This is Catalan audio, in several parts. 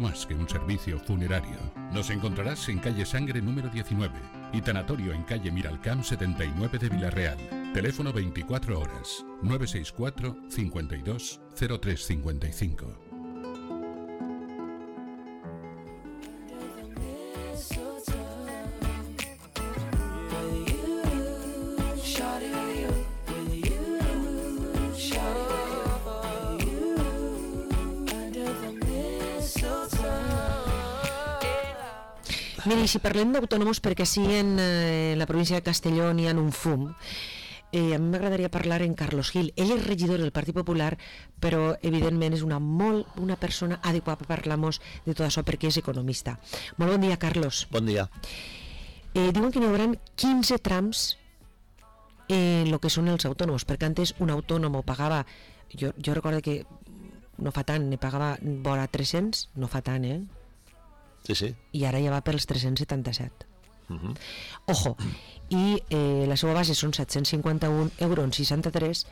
más que un servicio funerario. Nos encontrarás en calle Sangre número 19 y tanatorio en calle Miralcamp 79 de Villarreal. Teléfono 24 horas 964 52 0355. Mira, i si parlem d'autònoms, perquè sí, en la província de Castelló n'hi ha un fum, a mi m'agradaria parlar en Carlos Gil. Ell és regidor del Partit Popular, però evidentment és una persona adequada per parlar-nos de tot això, perquè és economista. Molt bon dia, Carlos. Bon dia. Diuen que n'hi haurà 15 trams en el que són els autònoms, perquè antes un autònom pagava, jo recordo que no fa tant, ne pagava vora 300, no fa tant, Sí. I ara ja va pels 377. Ojo, i la seva base són 751 euros en 63,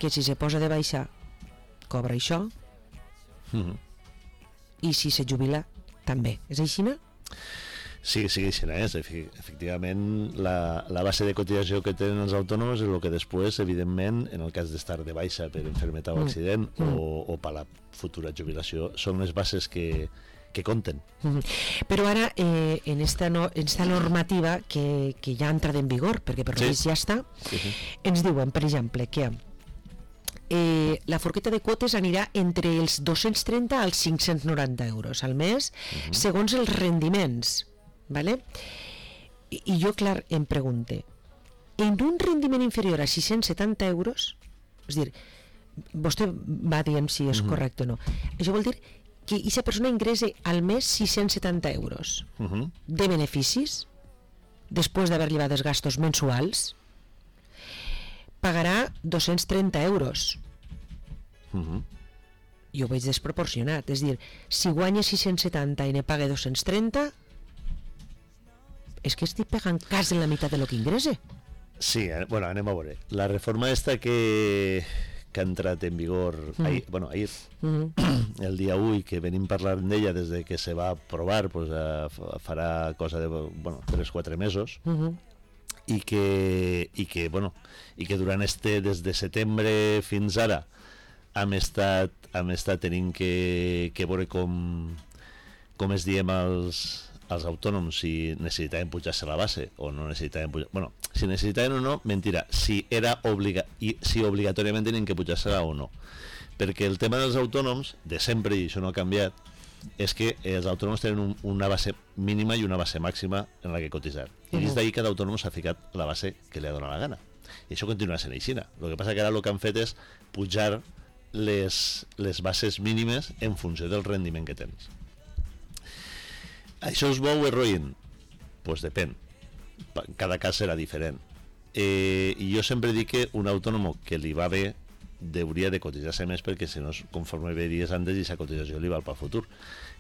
que si se posa de baixa cobra això, i si se jubila també. És així, no? Sí, així és. Efectivament, la base de cotització que tenen els autònoms és el que després, evidentment, en el cas d'estar de baixa per enfermetat o accident o per la futura jubilació, són les bases que compten. Però ara, en esta normativa que ja ha entrat en vigor, perquè per lleis ja està, ens diuen, per exemple, que la forqueta de quotes anirà entre els 230 als 590 euros al mes, segons els rendiments, ¿vale? I jo, clar, em pregunte, en un rendiment inferior a 670 euros, és a dir, vostè va dient si és correcte o no, això vol dir que aquesta persona ingressa al mes 670 euros de beneficis, després d'haver llevat els gastos mensuals, pagarà 230 euros. Jo ho veig desproporcionat. És a dir, si guanya 670 i ne paga 230, és que estic pagant quasi la meitat de lo que ingressa. Sí, bueno, anem a veure. La reforma esta que ha entrat en vigor ahir, el dia 1, que venim parlant d'ella des de que se va aprovar, pues, farà cosa de 3-4 mesos, i que durant des de setembre fins ara hem estat tenint que veure com es diem als autònoms si necessitaven pujar-se la base o no necessitaven pujar... Bueno, si necessitaven o no, mentira, si obligatòriament tenien que pujar-se-la o no. Perquè el tema dels autònoms, de sempre, i això no ha canviat, és que els autònoms tenen una base mínima i una base màxima en la que cotitzar. I des d'ahir cada autònom s'ha ficat la base que li ha donat la gana. I això continua sent així. El que passa que ara el que han fet és pujar les bases mínimes en funció del rendiment que tens. Això és bo o és roïn? Doncs depèn. Cada cas serà diferent. I jo sempre dic que un autònom que li va bé hauria de cotitzar-se més, perquè si no, conforme veiries antes, i aquesta cotització li val pel futur.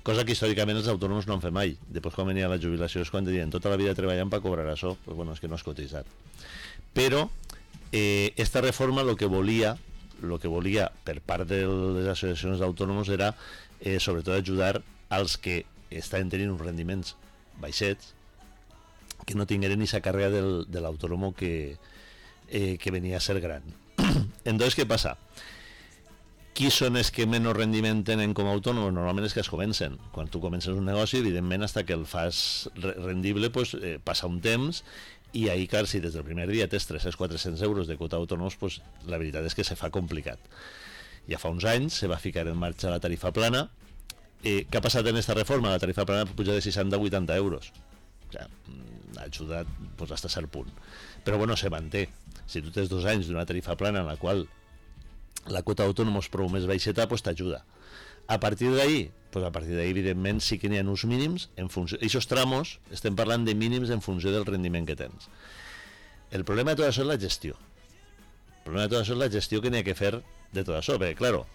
Cosa que històricament els autònoms no han fet mai. Després, quan venia la jubilació, és quan diuen tota la vida treballant per cobrar això, doncs bueno, és que no has cotitzat. Però esta reforma el que volia per part de les associacions d'autònoms era sobretot ajudar als que estaven tenint uns rendiments baixets, que no tingueren aquesta càrrega de l'autònom que venia a ser gran. Entonces, què passa? Qui són els que menys rendiment tenen com a autònoms? Normalment és que es comencen. Quan tu comences un negoci, evidentment, fins que el fas rendible, pues, passa un temps, i ahir, clar, si des del primer dia tens 300-400 euros de quota d'autònoms, pues, la veritat és que se fa complicat. Ja fa uns anys se va ficar en marxa la tarifa plana. Què ha passat en aquesta reforma? La tarifa plana puja de 60 a 80 euros. O sigui, ha ajudat pues, fins a cert punt. Però bueno, se manté. Si tu tens 2 anys d'una tarifa plana en la qual la quota d'autònoms prou més baixeta, pues, t'ajuda. A partir d'ahir, evidentment, sí que n'hi ha uns mínims en funció... Aquests tramos, estem parlant de mínims en funció del rendiment que tens. El problema de tot això és la gestió. El problema de tot això és la gestió que n'hi ha que fer de tot això. Perquè, clar,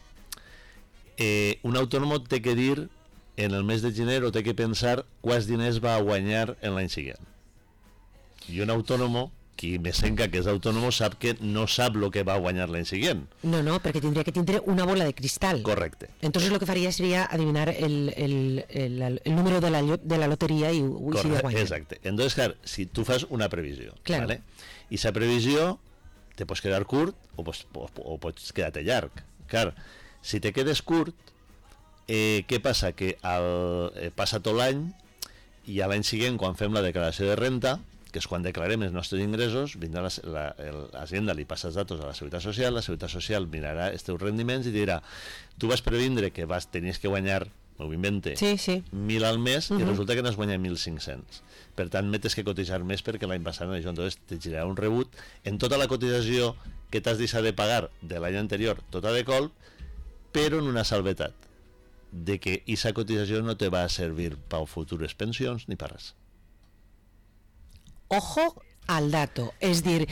un autònom té que dir en el mes de gener o té que pensar quants diners va a guanyar en l'any següent. I un autònom qui me sembla que és autònom sap que no sap el que va guanyar l'any següent. No, perquè tindria que tindre una bola de cristal. Correcte. Entonces lo que faria seria adivinar el número de la loteria i ho iria guanyant. Exacte. Entonces, clar, si tu fas una previsió, claro. ¿vale? I esa previsió te pots quedar curt o pots quedar-te llarg. Clar, si te quedes curt, què passa? Que passa tot l'any i a l'any següent, quan fem la declaració de renta, que és quan declarem els nostres ingressos, vindrà l'Hacienda, li passa els datos a la Seguretat Social mirarà els teus rendiments i dirà, tu vas previndre que tenies que guanyar, m'ho invente, 1.000 al mes i resulta que n'has guanyat 1.500. Per tant, metes que cotitzar més perquè l'any passat això, entonces te girarà un rebut en tota la cotització que t'has deixat de pagar de l'any anterior, tota de colp, però en una salvetat, de que aquesta cotització no te va a servir per futures pensions ni per res. Ojo al dato, és dir,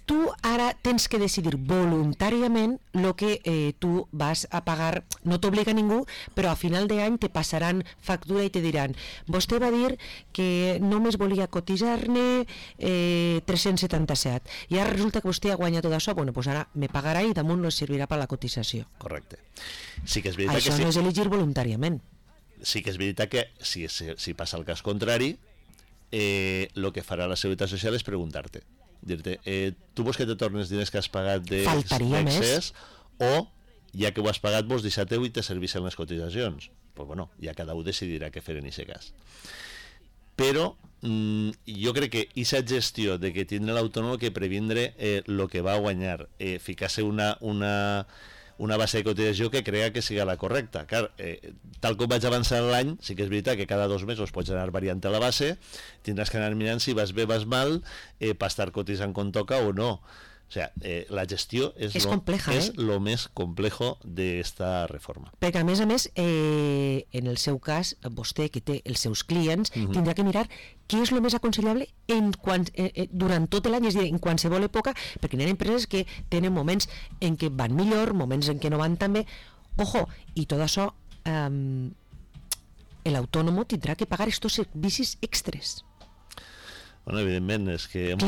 tu ara tens que decidir voluntàriament el que tu vas a pagar, no t'obliga ningú, però a final d'any te passaran factura i te diran, vostè va dir que només volia cotitzar-ne 377, i ara resulta que vostè ha guanyat tot això, bueno, doncs ara me pagarà i damunt no servirà per la cotització. Correcte. Sí que és veritat això que no és elegir voluntàriament. Sí que és veritat que si passa el cas contrari, lo que farà la Seguretat Social és preguntar-te, dir-te, tu vols que te tornes diners que has pagat d'excés o ja que ho has pagat vols deixar-te i te servissin les cotitzacions? Pues bueno, ja cada un decidirà què fer en aquest cas. Però jo crec que aquesta gestió de que tindrà l'autònom que previndre el que va guanyar, ficar-se una base de cotització que crea que siga la correcta. Clar, tal com vaig avançar l'any, sí que és veritat que cada 2 mesos pots anar variant a la base, tindràs que anar mirant si vas bé, vas mal, per estar cotitzant com toca o no. O sea, la gestió és compleja, és lo més complejo d'esta reforma. Perquè a més, en el seu cas, vostè que té els seus clients, tindrà que mirar què és el més aconsellable durant tot l'any, és a dir, en qualsevol època, perquè hi ha empreses que tenen moments en què van millor, moments en què no van tan bé. Ojo, i tot això l'autònom tindrà que pagar estos servicis extres. Bueno, evidentment, és que ens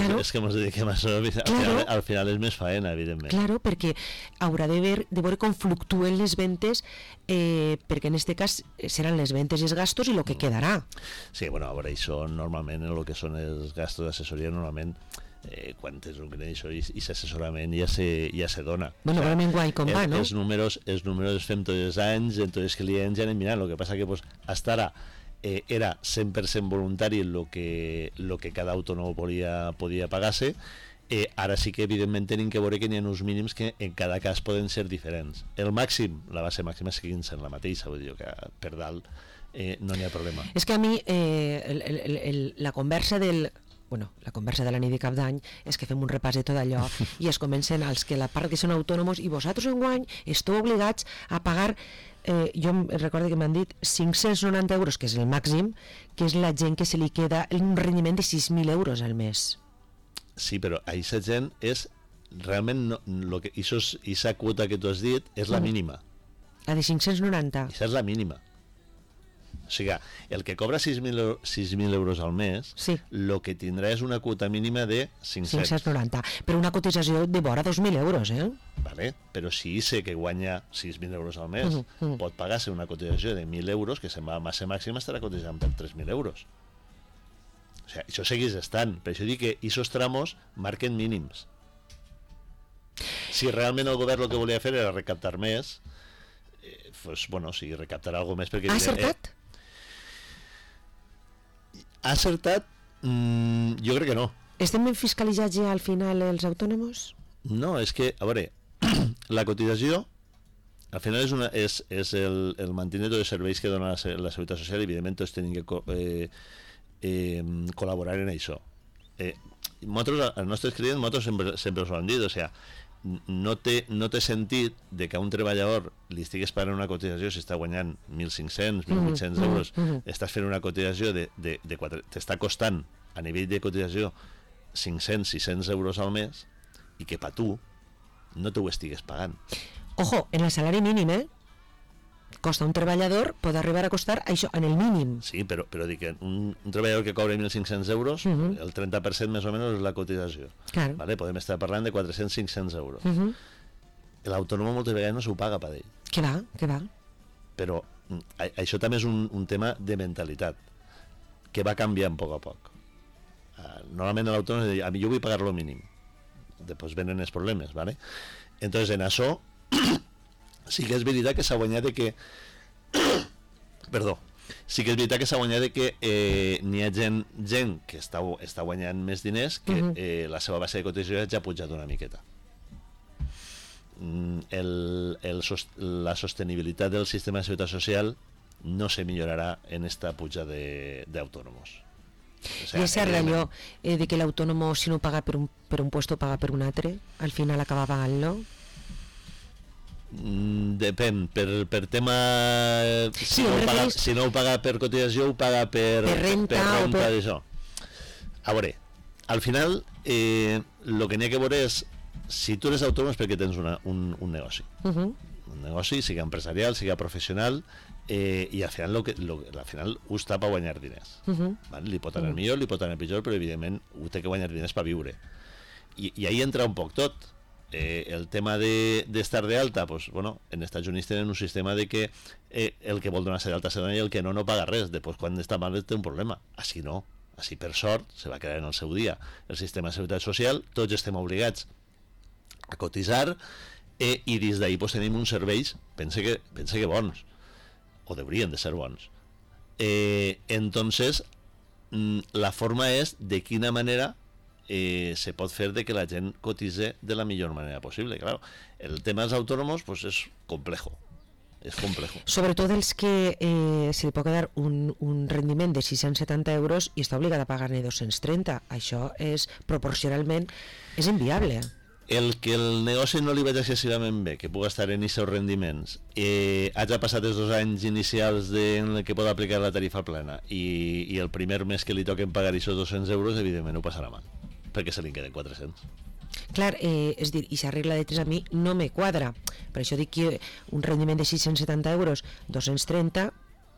dediquem a això, al final és més faena, evidentment. Claro, perquè haurà de veure com fluctuen les ventes, perquè en aquest cas seran les ventes i els gastos i el que quedarà. Sí, bueno, a veure, això normalment, el que són els gastos d'assessoria, normalment, quan tens un client i l'assessorament ja se dona. Bueno, però enguany com va, no? Els números els fem tots els anys, en tots els clients ja anem mirant, el que passa que hasta ara era 100% voluntari lo que cada autònom podia pagar-se. Ara sí que evidentment tenim que veure que n'hi ha uns mínims que en cada cas poden ser diferents. El màxim, la base màxima seguint sent la mateixa, vull dir que per dalt no n'hi ha problema. És que a mi la conversa de la nit de cap d'any és que fem un repàs de tot allò i es comencen els que la part que són autònoms i vosaltres enguany esteu obligats a pagar, jo recordo que m'han dit 590 euros, que és el màxim, que és la gent que se li queda un rendiment de 6.000 euros al mes. Sí, però a aquesta gent és realment aquesta quota que tu has dit és la mínima. La de 590. Aquesta és la mínima. O sigui, el que cobra 6.000 euros al mes, el que tindrà és una quota mínima de 590. Però una cotització de vora 2.000 euros, Vale, però si sé que guanya 6.000 euros al mes, pot pagar-se una cotització de 1.000 euros, que se'n va a massa màxima, estarà cotitzant per 3.000 euros. O sigui, això segueix estant. Per això dic que aquests tramos marquen mínims. Si realment el govern el que volia fer era recaptar més, pues, bueno, sí, recaptarà alguna més perquè... Ha acertat? Ha acertat? Jo crec que no. Estem ben fiscalitzats ja al final els autònoms? No, és que, a veure, la cotització al final és el manteniment de serveis que dona la Seguretat Social i evidentment tots tenim que col·laborar en això. Els nostres clients sempre us ho han dit, o sigui, no té sentit de que a un treballador li estigues pagant una cotització si està guanyant 1.500, 1.800 euros, estàs fent una cotització t'està costant a nivell de cotització 500, 600 euros al mes i que per tu no t'ho estigues pagant. Ojo, en el salari mínim, costa un treballador pot arribar a costar això en el mínim. Sí, però dic que un treballador que cobra 1.500 euros, el 30% més o menys és la cotització. Claro. Vale? Podem estar parlant de 400-500 euros. L'autònom moltes vegades no s'ho paga per ell. Que va. Però això també és un tema de mentalitat, que va canviant a poc. Normalment l'autònom diu, a mi jo vull pagar lo mínim. Després venen els problemes, ¿vale? Entonces en això sí que és veritat que s'ha guanyat de que sí que és veritat que s'ha guanyat de que n'hi ha gent que està guanyant més diners que la seva base de cotització ja ha pujat una miqueta. La sostenibilitat del sistema de seguretat social no se millorarà en esta puja d'autònomos. O sea, I és cert allò de que l'autònom si no paga per un puesto paga per un altre, al final acaba pagant-lo? Depèn, per tema Sí, si no ho paga per cotització ho paga per renta d'això. A veure, al final el que n'hi ha que veure és si tu eres autònom és perquè tens un negoci, un negoci, siga empresarial, siga professional, i al final al final ho està per guanyar diners, vale? Li pot anar millor, li pot anar pitjor, però evidentment ho té que guanyar diners per viure, i ahí entra un poc tot. El tema d'estar de alta, pues, bueno, en Estats Units tenen un sistema de que el que vol donar-se d'alta se dona i el que no paga res. Després, quan està mal, té un problema. Així no. Així, per sort, se va crear en el seu dia el sistema de seguretat social, tots estem obligats a cotitzar, i des d'ahir pues, tenim uns serveis, pense que bons, o deurien de ser bons. Entonces, la forma és de quina manera se pot fer de que la gent cotitze de la millor manera possible. Claro, el tema dels autònoms pues, és complejo. Sobretot els que se li pot quedar un rendiment de 670 euros i està obligat a pagar-ne 230. Això és proporcionalment és inviable. El que el negoci no li vaig excessivament bé, que pugui estar en aquests rendiments, hagi passat els 2 anys inicials en què pot aplicar la tarifa plena i el primer mes que li toquen pagar aquests 200 euros, evidentment ho passarà mal, perquè se li queden 400. Clar, és dir, i si regla de 3 a mi no me quadra. Per això dic que un rendiment de 670 euros, 230,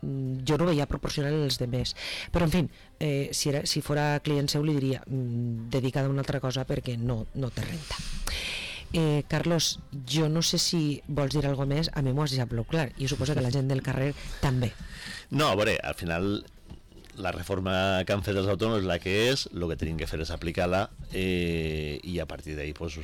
jo no veia proporcional als demés. Però, en fi, si fora client seu li diria dedicada a una altra cosa perquè no té renta. Carlos, jo no sé si vols dir alguna més, a mi m'ho has deixat prou clar, i suposo que la gent del carrer també. No, a veure, al final la reforma que han fet els autònoms és la que és, el que tenim que fer és aplicar-la, i a partir d'ahí pues,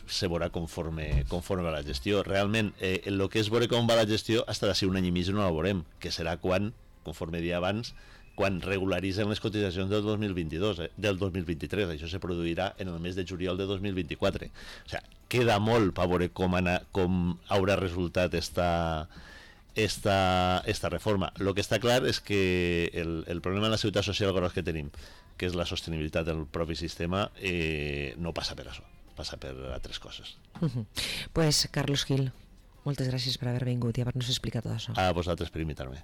se veurà conforme va la gestió. Realment, el que és veure com va la gestió hasta d'ací un any i mig no la veurem, que serà quan, conforme dia abans, quan regularitzen les cotitzacions del 2023. Això se produirà en el mes de juliol de 2024. O sigui, queda molt per veure com haurà resultat esta reforma. Lo que està clar és que el problema de la seguretat social gros que tenim, que és la sostenibilitat del propi sistema, no passa per això, passa per altres coses. Pues Carlos Gil, moltes gràcies per haver vingut i haver-nos explicat tot això. A vosaltres per invitar-me.